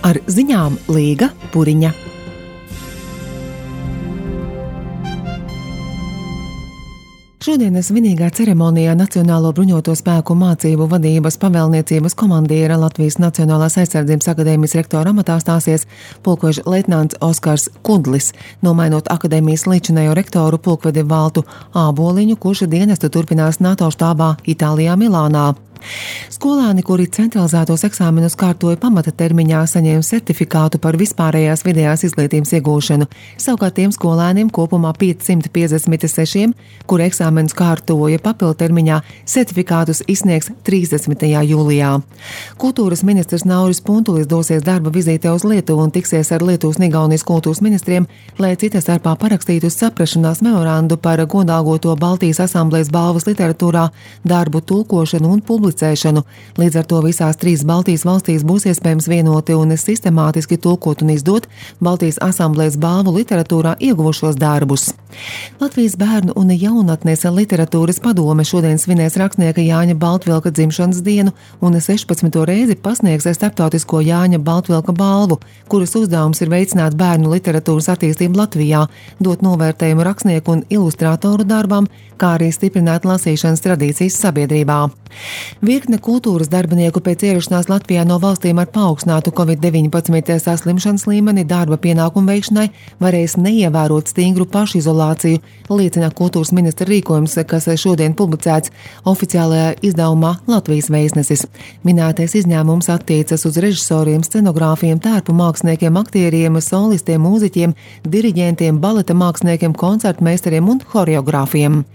Ar ziņām Līga Puriņa. Šodienas svinīgā ceremonijā Nacionālo bruņoto spēku mācību vadības pavēlniecības komandiera Latvijas Nacionālās aizsardzības akadēmijas rektora amatā stāsies pulkveža leitnants Oskars Kudlis, nomainot akadēmijas līdzinējo rektoru pulkvedi Valtu Āboliņu, kurš dienestu turpinās NATO štābā Itālijā Milānā. Skolēni, kuri centralizētos eksāmenus kārtoja pamata termiņā, saņēma certifikātu par vispārējās vidējās izglītības iegūšanu. Savukārt tiem skolēniem kopumā 556, kuri eksāmenus kārtoja papildu termiņā, certifikātus izsniegs 30. jūlijā. Kultūras ministrs Nauris Puntulis dosies darba vizītē uz Lietuvu un tiksies ar Lietuvas un Igaunijas kultūras ministriem, lai cita starpā parakstītu saprašanās memorandu par godāgoto Baltijas asamblējas balvas literatūrā darbu tulkošanu un publicēšanu. Līdz ar to visās 3 Baltijas valstīs būs iespējams vienoti un sistemātiski tulkot un izdot Baltijas asamblējas balvu literatūrā ieguvušos darbus. Latvijas bērnu un jaunatnes literatūras padome šodien svinēs rakstnieka Jāņa Baltvilka dzimšanas dienu un 16. reizi pasniegs starptautisko Jāņa Baltvilka balvu, kuras uzdevums ir veicināt bērnu literatūras attīstību Latvijā, dot novērtējumu rakstnieku un ilustrātoru darbam, kā arī stiprināt lasīšanas tradīcijas sabiedrībā. Virkne kultūras darbinieku pēc ierašanās Latvijā no valstīm ar paaugstinātu COVID-19 saslimšanas līmeni darba pienākumu veikšanai varēs neievērot stingru pašizolāciju, liecina kultūras ministra rīkojums, kas šodien publicēts oficiālajā izdevumā Latvijas vēstnesis. Minētais izņēmums attiecas uz režisoriem, scenogrāfiem, tērpu māksliniekiem, aktieriem, solistiem, mūziķiem, diriģentiem, baleta māksliniekiem, koncertmeistariem un horeogrāfiem.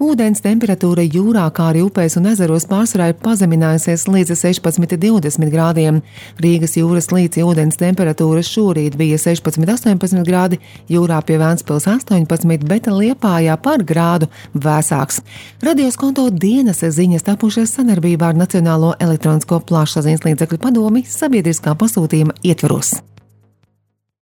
Ūdens temperatūra jūrā, kā arī upēs un ezeros pārsvarā ir pazeminājusies līdz 16–20 grādiem. Rīgas jūras līci ūdens temperatūra šorīt bija 16–18 grādi, jūrā pie Ventspils 18, bet Liepājā par grādu vēsāks. Radioskonto dienas ziņas tapušas sadarbībā ar Nacionālo elektronisko plašsaziņas līdzekļu padomi sabiedriskā pasūtījuma ietvaros.